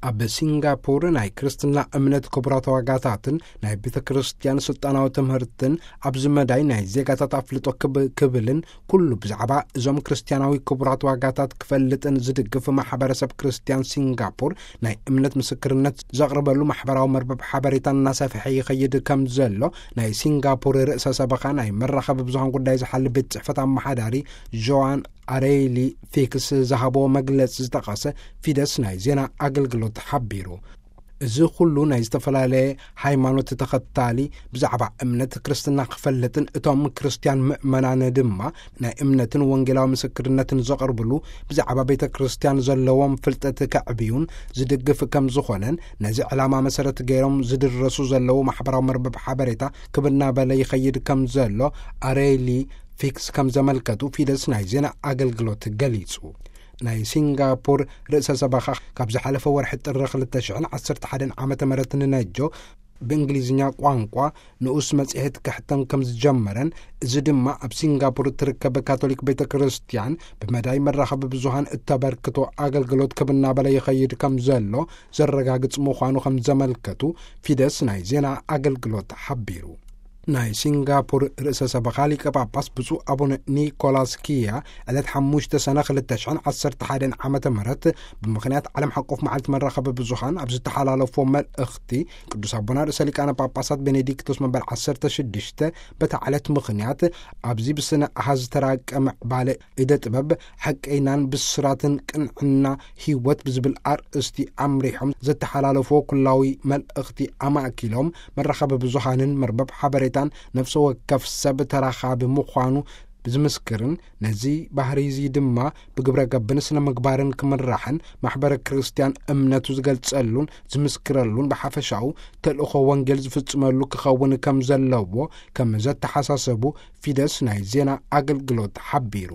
ኣብ ሲንጋፖር ናይ ክርስትና እምነት ክቡራት ዋጋታትን ናይ ቤተ ክርስቲያን ስልጣናዊ ትምህርትን ኣብዚ መዳይ ናይ ዜጋታት ኣፍልጦ ክብ-፣ ክብልን ኩሉ ብዛዕባ እዞም ክርስቲያናዊ ክቡራት ዋጋታት ክፈልጥን ዝድግፍ ማሕበረሰብ ክርስቲያን ሲንጋፖር ናይ እምነት ምስክርነት ዘቕርበሉ ማሕበራዊ መርበብ ሓበሬታ እናሰፍሐ ይኸይድ ከም ዘሎ ናይ ሲንጋፖር ርእሰ ሰበኻ ናይ መራኸቢ ብዙሃን ጉዳይ ዝሓል ቤት ጽሕፈት ኣመሓዳሪ ጆዋን ኣሬሊ ፊክስ ዝሃቦ መግለጺ ዝጠቐሰ ፊደስ ናይ ዜና ኣገልግሎት ሓቢሩ። እዚ ኩሉ ናይ ዝተፈላለየ ሃይማኖት ተኸታሊ ብዛዕባ እምነት ክርስትና ክፈልጥን እቶም ክርስቲያን ምእመናን ድማ ናይ እምነትን ወንጌላዊ ምስክርነትን ዘቕርብሉ ብዛዕባ ቤተ ክርስቲያን ዘለዎም ፍልጠት ከዕብዩን ዝድግፍ ከም ዝኾነን ነዚ ዕላማ መሰረት ገይሮም ዝድረሱ ዘለዉ ማሕበራዊ መርበብ ሓበሬታ ክብ እናበለ ይኸይድ ከም ዘሎ ኣሬሊ ፊክስ ከም ዘመልከቱ ፊደስ ናይ ዜና ኣገልግሎት ገሊጹ። ናይ ሲንጋፖር ርእሰ ሰበኻ ካብ ዝሓለፈ ወርሒ ጥሪ ክልተ ሽሕን ዓሰርተ ሓደን ዓመተ ምህረት ንነጆ ብእንግሊዝኛ ቋንቋ ንኡስ መጽሔት ክሕተም ከም ዝጀመረን፣ እዚ ድማ ኣብ ሲንጋፖር እትርከብ ካቶሊክ ቤተ ክርስቲያን ብመዳይ መራኸቢ ብዙሃን እተበርክቶ ኣገልግሎት ክብ እናበለ ይኸይድ ከም ዘሎ ዘረጋግጽ ምዃኑ ከም ዘመልከቱ ፊደስ ናይ ዜና ኣገልግሎት ሓቢሩ። ናይ ሲንጋፖር ርእሰ ሰበኻ ሊቀ ጳጳስ ብፁዕ ኣቡነ ኒኮላስ ኪያ ዕለት ሓሙሽተ ሰነ ክልተ ሽሕን ዓሰርተ ሓደን ዓመተ ምህረት ብምኽንያት ዓለም ሓቆፍ መዓልቲ መራኸቢ ብዙሃን ኣብ ዝተሓላለፎ መልእኽቲ፣ ቅዱስ ኣቦና ርእሰ ሊቃነ ጳጳሳት ቤኔዲክቶስ መበል ዓሰርተ ሽዱሽተ በታ ዕለት ምኽንያት ኣብዚ ብስነ ኣሃዝ ዝተራቀ ምዕባለ ኢደ ጥበብ ሓቀይናን ብስራትን ቅንዕና ህይወት ብዝብል ኣርእስቲ ኣምሪሖም ዘተሓላለፎ ኩላዊ መልእኽቲ ኣማእኪሎም መራኸቢ ብዙሃንን መርበብ ሓበሬታን ነፍሲ ወከፍ ሰብ ተራኻቢ ምዃኑ ዝምስክርን ነዚ ባህሪ እዚ ድማ ብግብረ ገብን ስነ ምግባርን ክምራሕን ማሕበረ ክርስቲያን እምነቱ ዝገልጸሉን ዝምስክረሉን ብሓፈሻኡ ተልእኾ ወንጌል ዝፍጽመሉ ክኸውን ከም ዘለዎ ከም ዘተሓሳሰቡ ፊደስ ናይ ዜና ኣገልግሎት ሓቢሩ።